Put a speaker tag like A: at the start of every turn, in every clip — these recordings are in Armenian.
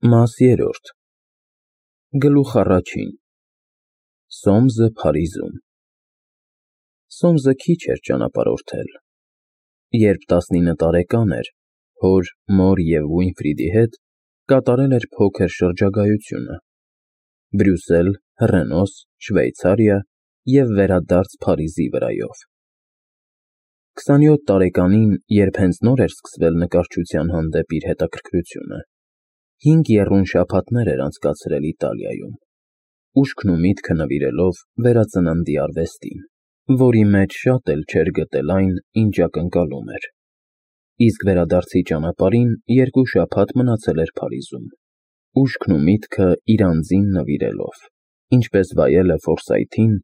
A: Մաս երրորդ Գլուխ առաջին Սոմսը Փարիզում Սոմսը քիչ էր ճանապարհորդել։ Երբ 19 տարեկան էր, հոր, մոր և Ուինֆրիդի հետ կատարել էր փոքր շրջագայությունը՝ Բրյուսել, Հռենոս, Շվեյցարիա և վերադարձ Փարիզի վրայով։ 27 տարեկանին, երբ հենց նոր էր սկսվել նկարչության հանդեպ իր հետաքրքրությունը, 5 եռուն շաբաթներ էր անցկացրել Իտալիայում, ուշքն ու միտքը նվիրելով վերածննդի արվեստին, որի մեջ շատ էլ չէր գտել այն, ինչ ակնկալում էր, իսկ վերադարձի ճանապարհին 2 շաբաթ մնացել էր Փարիզում, ուշքն ու միտքը իր անձին նվիրելով, ինչպես վայել է Ֆորսայթին,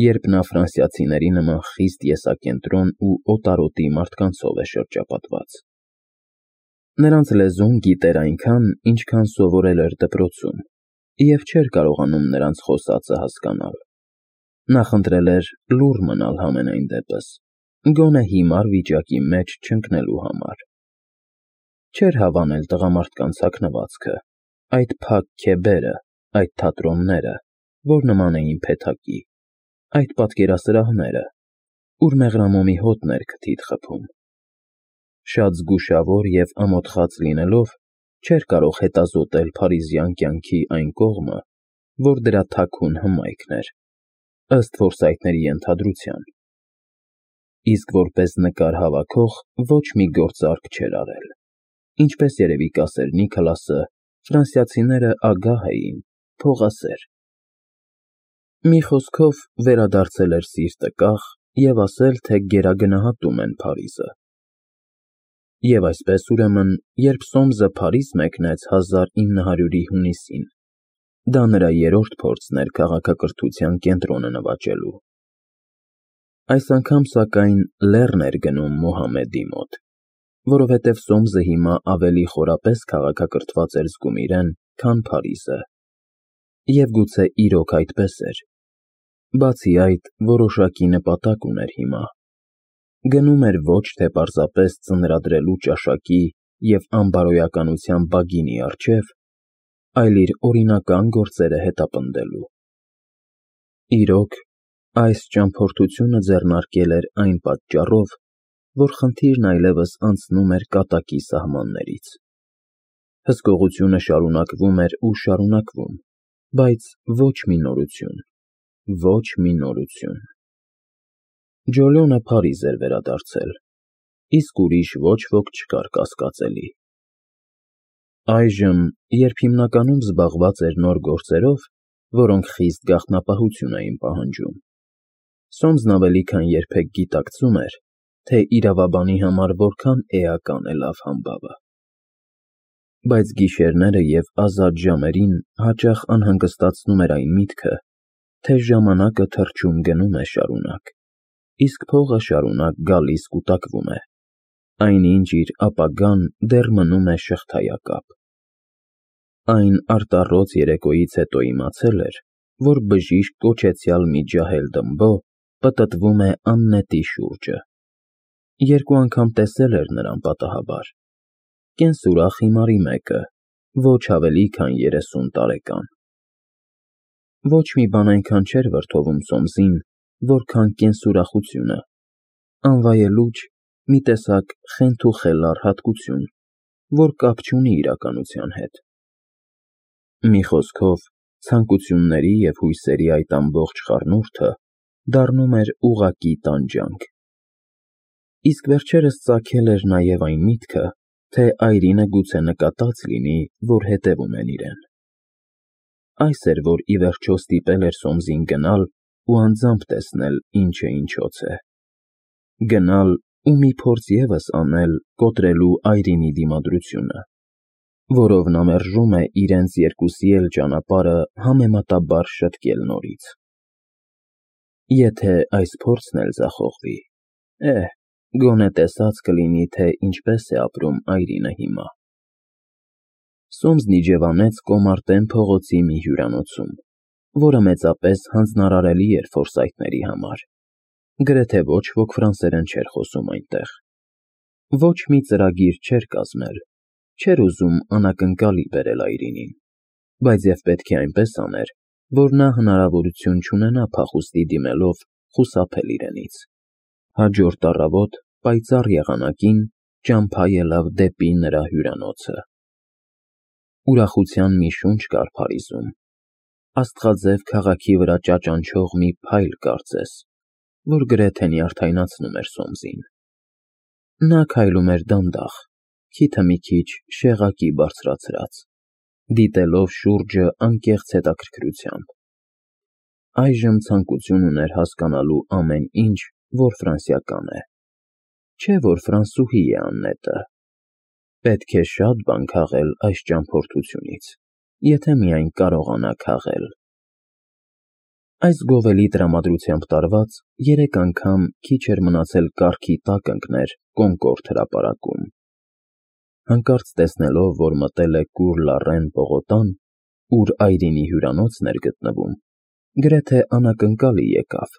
A: երբ նա ֆրանսիացիների նման խիստ եսակենտրոն ու օտարոտի մարդկանցով է շրջապատված։ Նրանց լեզուն գիտեր այնքան, ինչքան սովորել էր դպրոցում, և չէր կարողանում նրանց խոսածը հասկանալ։ Նախընտրել էր լուռ մնալ համենայն դեպս, գոնե հիմար վիճակի մեջ չընկնելու համար։ Չէր հավանել տղամարդկանց հագնվածքը, այդ փակ քեբերը, այդ թատրոնները, որ նման էին փեթակի, այդ պատկերասրահները, ուր մեղրամոմի հոտն էր քթիդ խփում։ Շատ զգուշավոր և ամոթխած լինելով, չէր կարող հետազոտել փարիզյան կյանքի այն կողմը, որ դրա թաքուն հմայքն էր, ըստ Ֆորսայթների ենթադրության, իսկ որպես նկար հավաքող ոչ մի գործարք չէր արել, ինչպես երևի կասեր Նիկոլասը, ֆրանսիացիները ագահ էին, փողասեր։ Մի խոսքով, վերադարձել էր սիրտը կախ և ասել, թե գերագնահատում են Փարիզը։ Եվ այսպես, ուրեմն, երբ Սոմսը Փարիզ մեկնեց 1900-ի հունիսին, դա նրա երրորդ փորձն էր քաղաքակրթության կենտրոնը նվաճելու։ Այս անգամ, սակայն, լեռն էր գնում Մոհամեդի մոտ, որովհետև Սոմսը հիմա ավելի խորապես քաղաքակրթված էր զգում իրեն, քան Փարիզը։ Եվ գուցե իրոք այդպես էր։ Բացի այդ, որոշակի նպատակ ուներ հիմա։ Գնում էր ոչ թե պարզապես ծնրադրելու ճաշակի և անբարոյականության բագինի առջև, այլ իր օրինական գործերը հետապնդելու։ Իրոք, այս ճամփորդությունը ձեռնարկել էր այն պատճառով, որ խնդիրն այլևս անցնում էր կատակի սահմաններից։ Հսկողությունը շարունակվում էր ու շարունակվում, բայց ոչ մի նորություն, ոչ մի նորություն։ Ջոլյոնը Փարիզ էր վերադարձել, իսկ ուրիշ ոչ ոք չկար կասկածելի։ Այժմ, երբ հիմնականում զբաղված էր նոր գործերով, որոնք խիստ գաղտնապահություն էին պահանջում, Սոմսն ավելի քան երբեք գիտակցում էր, թե իրավաբանի համար որքան էական է լավ համբավը։ Բայց գիշերները և ազատ ժամերին հաճախ անհանգստացնում էր այն միտքը, թե ժամանակը թռչում գնում է շարունակ, իսկ փողը շարունակ գալիս կուտակվում է, այնինչ իր ապագան դեռ մնում է շղթայակապ։ Այն արտառոց երեկոյից հետո իմացել էր, որ բժիշկ կոչեցյալ մի ջահել դմբո պտտվում է աննետի շուրջը։ 2 անգամ տեսել էր նրան պատահաբար, կենսուրախ հիմարի մեկը, ոչ ավելի քան 30 տարեկան։ Ոչ մի բան այնքան չէր վրդովում Սոմսին, որքան կենսուրախությունը, անվայելուչ, մի տեսակ խենթ ու խելառ հատկություն, որ կապ չունի իրականության հետ։ Մի խոսքով, ցանկությունների և հույսերի այդ ամբողջ խառնուրդը դառնում էր ուղղակի տանջանք։ Իսկ վերջերս ծագել էր նաև այն միտքը, թե այրինը գուցե նկատած լինի, որ հետևում են իրեն։ Այս էր, որ ի վերջո ստիպել էր Սոմսին գնալ ու անձամբ տեսնել, ինչ է ինչոց է։ Գնալ ու մի փորձ ևս անել կոտրելու այրինի դիմադրությունը, որով նա մերժում է իրենց երկուսի էլ ճանապարհը համեմատաբար շտկել նորից։ Եթե այս փորձն էլ ձախողվի, գոնե տեսած կլինի, թե ինչպես է ապրում այրինը հիմա։ Սոմսն իջևանեց Կոմարտեն փողոցի մի հյուրանոցում, որը մեծապես հանձնարարելի էր Ֆորսայթների համար, գրեթե ոչ ոք ֆրանսերեն չէր խոսում այնտեղ։ Ոչ մի ծրագիր չէր կազմել, Չէր ուզում անակնկալի բերել Այրինին, բայց և պետք է այնպես աներ, որ նա հնարավորություն չունենա փախուստի դիմելով խուսափել իրենից։ Հաջորդ առավոտ պայծառ եղանակին ճամփա ելավ դեպի նրա հյուրանոցը։ Ուրախության մի շունչ կար Փարիզում, աստղաձև քաղաքի վրա ճաճանչող մի փայլ կարծես, որ գրեթե նյարդայնացնում էր Սոմսին։ Նա քայլում էր դանդաղ, քիթը մի քիչ շեղակի բարձրացրած, դիտելով շուրջը անկեղծ հետաքրքրությամբ։ Այժմ ցանկություն ուներ հասկանալու ամեն ինչ, որ ֆրանսիական է, չէ որ ֆրանսուհի է Աննետը։ Պետք է շատ բան քաղել այս ճամփորդությունից, եթե միայն կարողանա քաղել։ Այս գովելի տրամադրությամբ տարված 3 անգամ քիչ էր մնացել կառքի տակ ընկներ Կոնկորդ հրապարակում։ Հանկարծ տեսնելով, որ մտել է Կուր Լարեն պողոտան, ուր Այրինի հյուրանոցն էր գտնվում, գրեթե անակնկալի եկավ,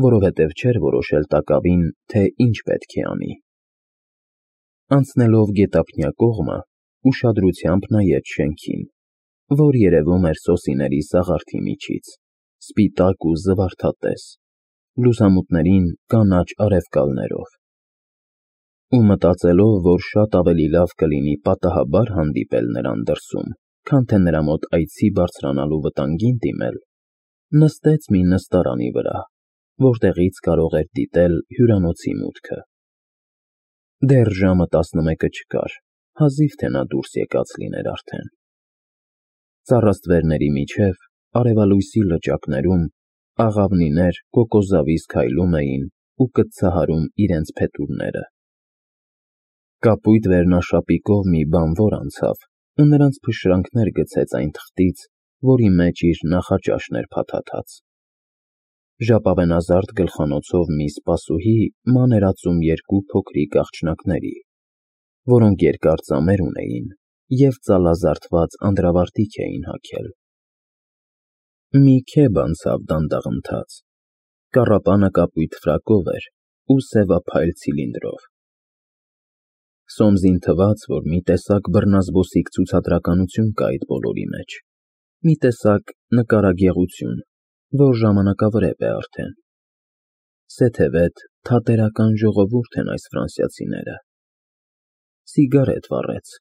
A: որովհետև չէր որոշել տակավին, թե ինչ պետք է անի։ Անցնելով գետափնյա կողմը, ուշադրությամբ նայեց շենքին, որ երևում էր սոսիների սաղարթի միջից, սպիտակ ու զվարթատես, լուսամուտներին կանաչ արևկալներով։ Ու մտածելով, որ շատ ավելի լավ կլինի պատահաբար հանդիպել նրան դրսում, քան թե նրա մոտ այցի բարձրանալու վտանգին դիմել, նստեց մի նստարանի վրա, որտեղից կարող էր դիտել հյուրանոցի մուտքը։ Դեռ ժամը 11 չկար, հազիվ թե նա դուրս եկած լիներ արդեն։ Ծառաստվերների միջև, արևալույսի լճակներում, աղավնիներ կոկոսզավիս քայլում էին ու կծցահարում իրենց փետուրները։ Կապույտ վերնաշապիկով մի բանվոր անցավ ու նրանց փշրանքներ գցեց այն թղթից, որի մեջ իր նախաճաշն էր փաթաթած։ Ժապավենազարդ գլխանոցով մի սպասուհի ման էր ածում 2 փոքրիկ աղջնակների, որոնք երկար ծամեր ունեին և ծալազարդված անդրավարտիք էին հագել։ Մի քեֆ անցավ դանդաղընթաց, կառապանը կապույտ ֆրակով էր ու սևափայլ ցիլինդրով։ Սոմսին թվաց, որ մի տեսակ բռնազբոսիկ ցուցադրականություն կա այդ բոլորի մեջ, մի տեսակ նկարագեղություն, որ ժամանակավրեպ է արդեն։ Սեթևետ թատերական ժողովուրդ են այս ֆրանսիացիները։ Սիգարետ վառեց։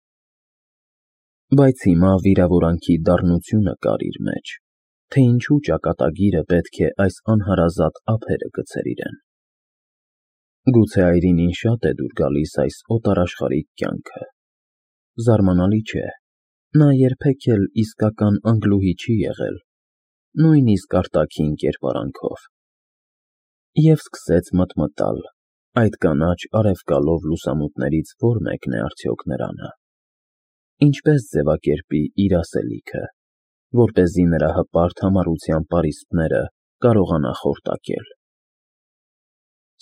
A: Բայց հիմա վիրավորանքի դառնությունը կար իր մեջ, թե ինչու ճակատագիրը պետք է այս անհարազատ ափերը գցեր իրեն։ Գուցե Այրինին շատ է դուր գալիս այս օտարաշխարհիկ կյանքը։ Զարմանալի չէ, նա երբեք էլ իսկական անգլուհի չի եղել, նույնիսկ արտաքին կերպարանքով։ Եվ սկսեց մտմտալ, այդ կանաչ արևկալով լուսամուտներից որ մեկն է արդյոք նրանը։ Ինչպես ձևակերպի իր ասելիքը, որպեսզի նրա հպարտ համառության պարիսպները կարողանա խորտակել։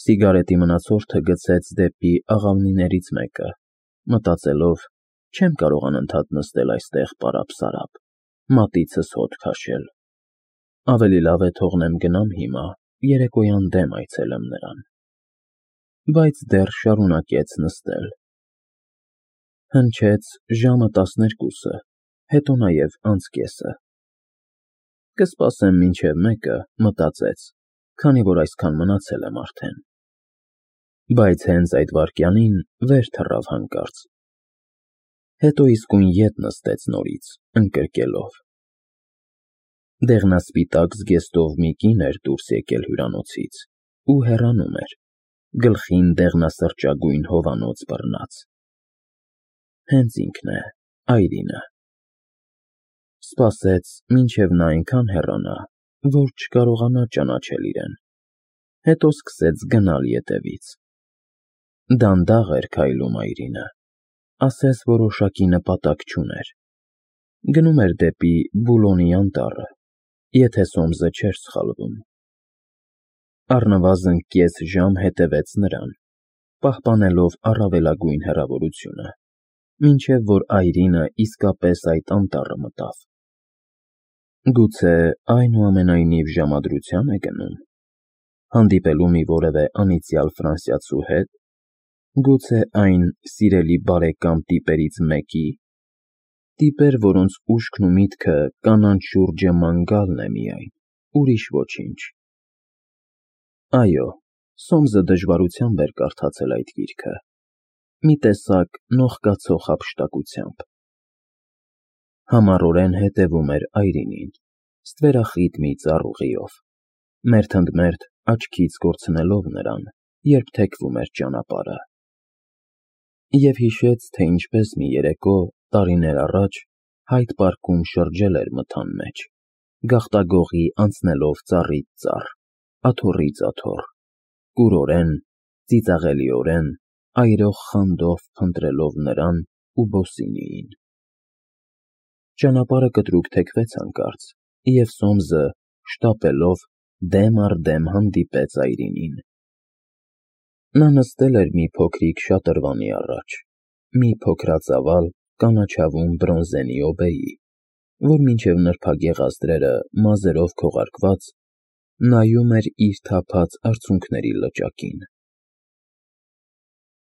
A: Սիգարետի մնացորդը գցեց դեպի աղավնիներից մեկը, մտածելով. չեմ կարող անընդհատ նստել այստեղ պարապ-սարապ, մատիցս հոտ քաշել։ Ավելի լավ է թողնեմ գնամ հիմա, երեկոյան դեմ այցելեմ նրան։ Բայց դեռ շարունակեց նստել։ Հնչեց ժամը 12-ը, հետո նաև անցկեսը։ Կսպասեմ մինչև 1-ը, մտածեց, քանի որ այսքան մնացել եմ արդեն։ Բայց հենց այդ վայրկյանին վեր թռավ հանկարծ։ Հետո իսկույն ետ նստեց նորից, ընկրկելով։ Դեղնասպիտակ զգեստով մի կին էր դուրս եկել հյուրանոցից ու հեռանում էր, գլխին դեղնասրճագույն հովանոց բռնած։ Հենց ինքն է, Այրինը։ Սպասեց, մինչև նա այնքան հեռանա, որ չկարողանա ճանաչել իրեն, հետո սկսեց գնալ ետևից։ Դանդաղ էր քայլում Այրինը, ասես որոշակի նպատակ չուներ։ Գնում էր դեպի Բուլոնի անտառը, եթե Սոմսը չէր սխալվում։ Առնվազն կես ժամ հետևեց նրան, պահպանելով առավելագույն հեռավորությունը, մինչև որ Այրինը իսկապես այդ անտառը մտավ։ Գուցե այնուամենայնիվ ժամադրության է գնում, հանդիպելու մի որևէ անիծյալ ֆրանսիացու հետ, Գուցե այն սիրելի բարեկամ տիպերից մեկի՞, տիպեր, որոնց ուշքն ու միտքը կանանց շուրջը ման գալն է միայն, ուրիշ ոչինչ։ Այո, Սոմսը դժվարությամբ էր կարդացել այդ գիրքը, մի տեսակ նողկացող հափշտակությամբ։ Համառորեն հետևում էր այրինին, ստվերախիտ մի ծառուղիով, մերթընդմերթ աչքից կորցնելով նրան, երբ թեքվում էր ճանապարհը։ Եվ հիշեց, թե ինչպես մի երեկո, տարիներ առաջ, Հայդ պարկում շրջել էր մթան մեջ, գաղտագողի անցնելով ծառից ծառ, աթոռից աթոռ, կուրորեն, ծիծաղելիորեն, այրող խանդով փնտրելով նրան ու Բոսինիին։ Ճանապարհը կտրուկ թեքվեց հանկարծ, և Սոմսը, շտապելով, դեմ առ դեմ հանդիպեց այրինին։ Նա նստել էր մի փոքրիկ շատրվանի առաջ, մի փոքրածավալ, կանաչավուն բրոնզենի օբեի, որ մինչև նրբագեղ ազդրերը մազերով քողարկված, նայում էր իր թափած արցունքների լճակին։